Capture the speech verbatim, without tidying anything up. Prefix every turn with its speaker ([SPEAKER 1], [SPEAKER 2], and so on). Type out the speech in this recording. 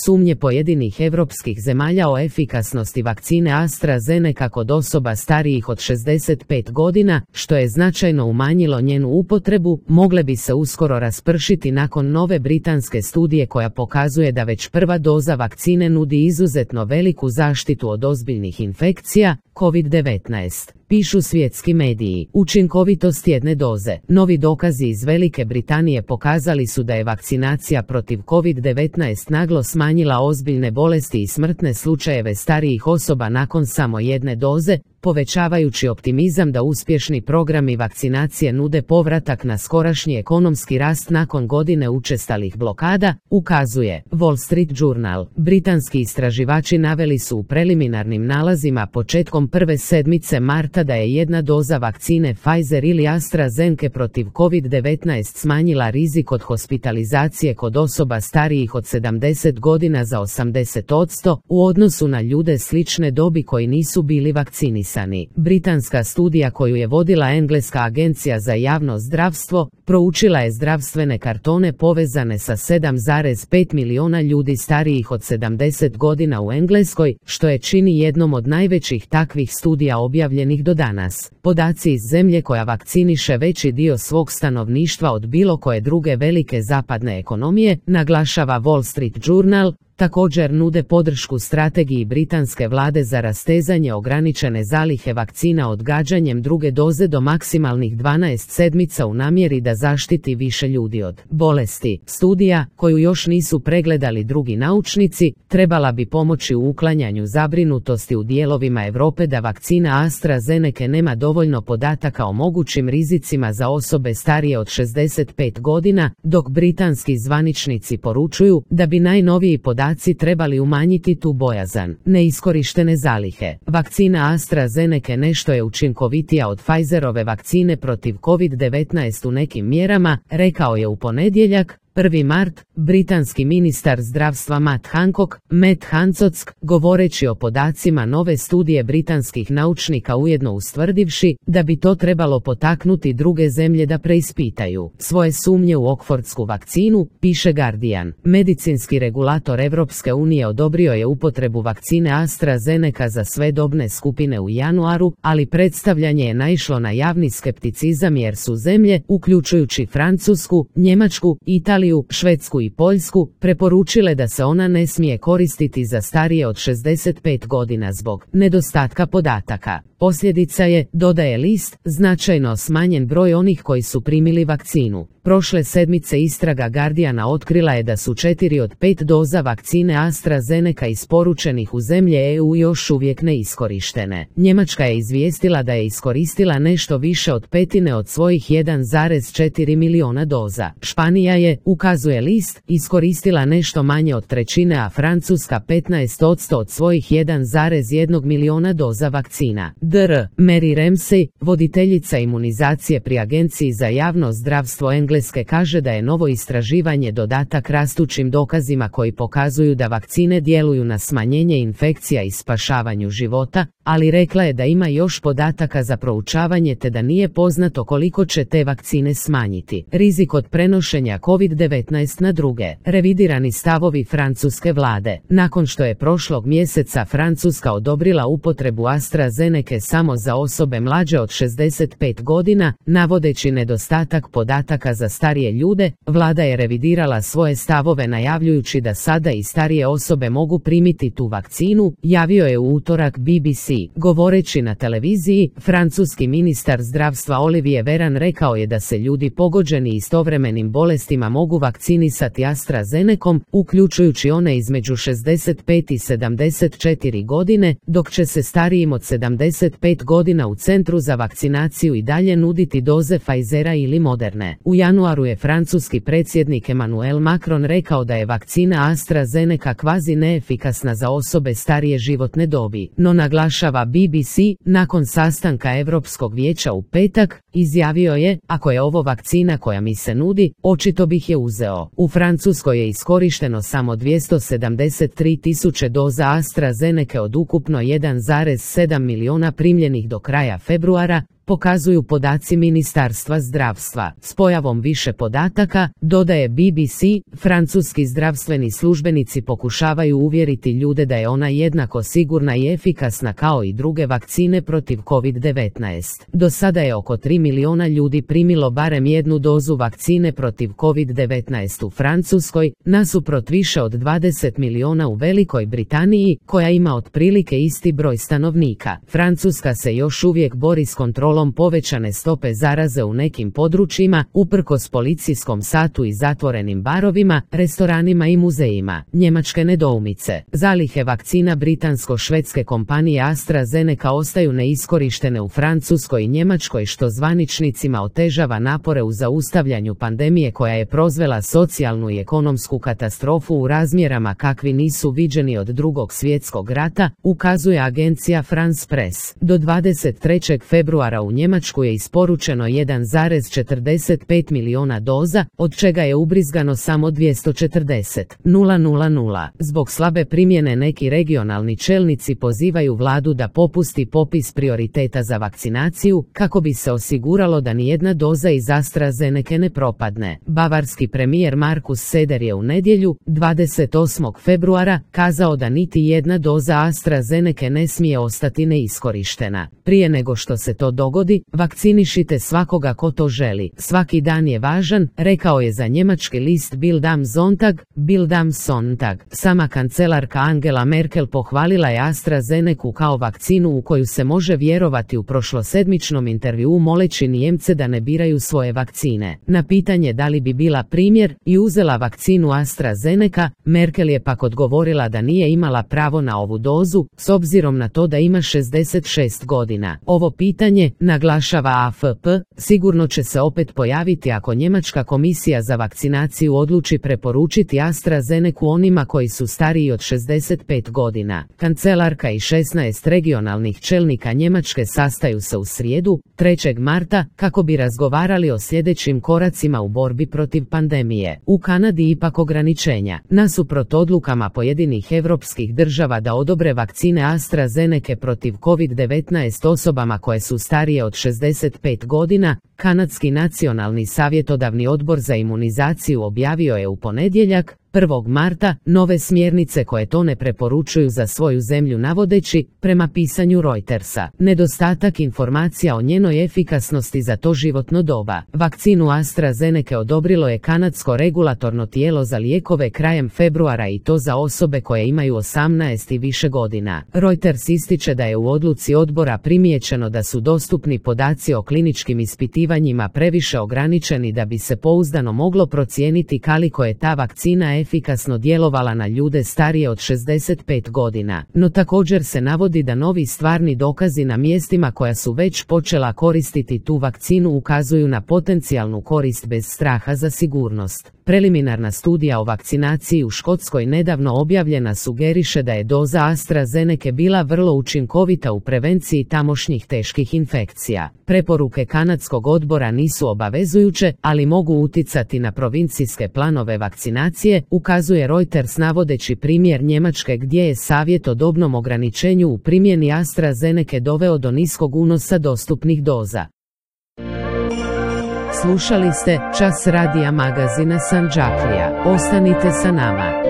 [SPEAKER 1] Sumnje pojedinih evropskih zemalja o efikasnosti vakcine AstraZeneca kod osoba starijih od šezdeset pet godina, što je značajno umanjilo njenu upotrebu, mogle bi se uskoro raspršiti nakon nove britanske studije koja pokazuje da već prva doza vakcine nudi izuzetno veliku zaštitu od ozbiljnih infekcija, kovid devetnaest. Pišu svjetski mediji. Učinkovitost jedne doze. Novi dokazi iz Velike Britanije pokazali su da je vakcinacija protiv kovid devetnaest naglo smanjila ozbiljne bolesti i smrtne slučajeve starijih osoba nakon samo jedne doze, povećavajući optimizam da uspješni programi vakcinacije nude povratak na skorašnji ekonomski rast nakon godine učestalih blokada, ukazuje Wall Street Journal. Britanski istraživači naveli su u preliminarnim nalazima početkom prve sedmice marta da je jedna doza vakcine Pfizer ili AstraZeneca protiv kovid devetnaest smanjila rizik od hospitalizacije kod osoba starijih od sedamdeset godina za osamdeset posto u odnosu na ljude slične dobi koji nisu bili vakcinisani. Britanska studija koju je vodila engleska agencija za javno zdravstvo proučila je zdravstvene kartone povezane sa sedam zarez pet miliona ljudi starijih od sedamdeset godina u Engleskoj, što je čini jednom od najvećih takvih studija objavljenih do danas. Podaci iz zemlje koja vakciniše veći dio svog stanovništva od bilo koje druge velike zapadne ekonomije, naglašava Wall Street Journal, također nude podršku strategiji britanske vlade za rastezanje ograničene zalihe vakcina odgađanjem druge doze do maksimalnih dvanaest sedmica u namjeri da zaštiti više ljudi od bolesti. Studija, koju još nisu pregledali drugi naučnici, trebala bi pomoći u uklanjanju zabrinutosti u dijelovima Europe da vakcina AstraZeneca nema dovoljno podataka o mogućim rizicima za osobe starije od šezdeset pet godina, dok britanski zvaničnici poručuju da bi najnoviji podaci trebali umanjiti tu bojazan. Neiskorištene zalihe. Vakcina AstraZeneca nešto je učinkovitija od Pfizerove vakcine protiv kovid devetnaest u nekim mjerama, rekao je u ponedjeljak, prvi mart, britanski ministar zdravstva Matt Hancock, Matt Hancock, govoreći o podacima nove studije britanskih naučnika ujedno ustvrdivši da bi to trebalo potaknuti druge zemlje da preispitaju svoje sumnje u Oxfordsku vakcinu, piše Guardian. Medicinski regulator Europske unije odobrio je upotrebu vakcine AstraZeneca za sve dobne skupine u januaru, ali predstavljanje je naišlo na javni skepticizam jer su zemlje, uključujući Francusku, Njemačku, Italiju, Švedsku i Poljsku, preporučile da se ona ne smije koristiti za starije od šezdeset pet godina zbog nedostatka podataka. Posljedica je, dodaje list, značajno smanjen broj onih koji su primili vakcinu. Prošle sedmice istraga Guardiana otkrila je da su četiri od pet doza vakcine AstraZeneca isporučenih u zemlje E U još uvijek neiskorištene. Njemačka je izvijestila da je iskoristila nešto više od petine od svojih jedan zarez četiri miliona doza. Španija je, ukazuje list, iskoristila nešto manje od trećine, a Francuska petnaest posto od svojih jedan zarez jedan miliona doza vakcina. dr. Mary Ramsey, voditeljica imunizacije pri Agenciji za javno zdravstvo Engleske, kaže da je novo istraživanje dodatak rastućim dokazima koji pokazuju da vakcine djeluju na smanjenje infekcija i spašavanju života, ali rekla je da ima još podataka za proučavanje te da nije poznato koliko će te vakcine smanjiti rizik od prenošenja kovid devetnaest na druge. Revidirani stavovi francuske vlade. Nakon što je prošlog mjeseca Francuska odobrila upotrebu AstraZeneca samo za osobe mlađe od šezdeset pet godina, navodeći nedostatak podataka za starije ljude, vlada je revidirala svoje stavove najavljujući da sada i starije osobe mogu primiti tu vakcinu, javio je u utorak B B C. Govoreći na televiziji, francuski ministar zdravstva Olivier Véran rekao je da se ljudi pogođeni istovremenim bolestima mogu vakcinisati AstraZenecom, uključujući one između šezdeset pet i sedamdeset četiri godine, dok će se starijim od sedamdeset pet godina u centru za vakcinaciju i dalje nuditi doze Pfizera ili Moderne. U januaru je francuski predsjednik Emmanuel Macron rekao da je vakcina AstraZeneca kvazi neefikasna za osobe starije životne dobi, no naglašava B B C, nakon sastanka Europskog vijeća u petak, izjavio je, ako je ovo vakcina koja mi se nudi, očito bih je uzeo. U Francuskoj je iskorišteno samo dvjesto sedamdeset tri tisuće doza AstraZeneca od ukupno jedan zarez sedam miliona primljenih do kraja februara, pokazuju podaci Ministarstva zdravstva. S pojavom više podataka, dodaje B B C, francuski zdravstveni službenici pokušavaju uvjeriti ljude da je ona jednako sigurna i efikasna kao i druge vakcine protiv kovid devetnaest. Do sada je oko tri miliona ljudi primilo barem jednu dozu vakcine protiv kovid devetnaest u Francuskoj, nasuprot više od dvadeset miliona u Velikoj Britaniji, koja ima otprilike isti broj stanovnika. Francuska se još uvijek bori s kontrolom povećane stope zaraze u nekim područjima, uprkos policijskom satu i zatvorenim barovima, restoranima i muzejima. Njemačke nedoumice. Zalihe vakcina britansko-švedske kompanije AstraZeneca ostaju neiskorištene u Francuskoj i Njemačkoj, što zvaničnicima otežava napore u zaustavljanju pandemije koja je proizvela socijalnu i ekonomsku katastrofu u razmjerama kakvi nisu viđeni od Drugog svjetskog rata, ukazuje agencija France Press. Do dvadeset trećeg februara u Njemačku je isporučeno jedan zarez četrdeset pet miliona doza, od čega je ubrizgano samo dvjesto četrdeset tisuća. Zbog slabe primjene neki regionalni čelnici pozivaju vladu da popusti popis prioriteta za vakcinaciju, kako bi se osiguralo da nijedna doza iz AstraZeneca ne propadne. Bavarski premijer Markus Söder je u nedjelju, dvadeset osmog februara, kazao da niti jedna doza AstraZeneca ne smije ostati neiskorištena. Prije nego što se to dogodi, vakcinišite svakoga ko to želi. Svaki dan je važan, rekao je za njemački list Bild am Sonntag, Bild am Sonntag. Sama kancelarka Angela Merkel pohvalila je AstraZenecu kao vakcinu u koju se može vjerovati u prošlosedmičnom intervjuu moleći Nijemce da ne biraju svoje vakcine. Na pitanje da li bi bila primjer i uzela vakcinu AstraZeneca, Merkel je pak odgovorila da nije imala pravo na ovu dozu, s obzirom na to da ima šezdeset šest godina. Ovo pitanje, naglašava A F P, sigurno će se opet pojaviti ako Njemačka komisija za vakcinaciju odluči preporučiti AstraZenecu onima koji su stariji od šezdeset pet godina. Kancelarka i šesnaest regionalnih čelnika Njemačke sastaju se u srijedu, trećeg marta, kako bi razgovarali o sljedećim koracima u borbi protiv pandemije. U Kanadi ipak ograničenja. Nasuprot odlukama pojedinih europskih država da odobre vakcine AstraZeneca protiv kovid devetnaest osobama koje su starije od šezdeset pet godina, Kanadski nacionalni savjetodavni odbor za imunizaciju objavio je u ponedjeljak, prvog marta, nove smjernice koje to ne preporučuju za svoju zemlju, navodeći, prema pisanju Reutersa, nedostatak informacija o njenoj efikasnosti za to životno doba. Vakcinu AstraZeneca odobrilo je kanadsko regulatorno tijelo za lijekove krajem februara i to za osobe koje imaju osamnaest i više godina. Reuters ističe da je u odluci odbora primijećeno da su dostupni podaci o kliničkim ispitivanjima previše ograničeni da bi se pouzdano moglo procijeniti koliko je ta vakcina efikasno djelovala na ljude starije od šezdeset pet godina, no također se navodi da novi stvarni dokazi na mjestima koja su već počela koristiti tu vakcinu ukazuju na potencijalnu korist bez straha za sigurnost. Preliminarna studija o vakcinaciji u Škotskoj nedavno objavljena sugeriše da je doza AstraZeneca bila vrlo učinkovita u prevenciji tamošnjih teških infekcija. Preporuke kanadskog odbora nisu obavezujuće, ali mogu uticati na provincijske planove vakcinacije, ukazuje Reuters navodeći primjer Njemačke gdje je savjet o dobnom ograničenju u primjeni AstraZeneca doveo do niskog unosa dostupnih doza. Slušali ste Čas radija magazina Sandžaklija. Ostanite sa nama.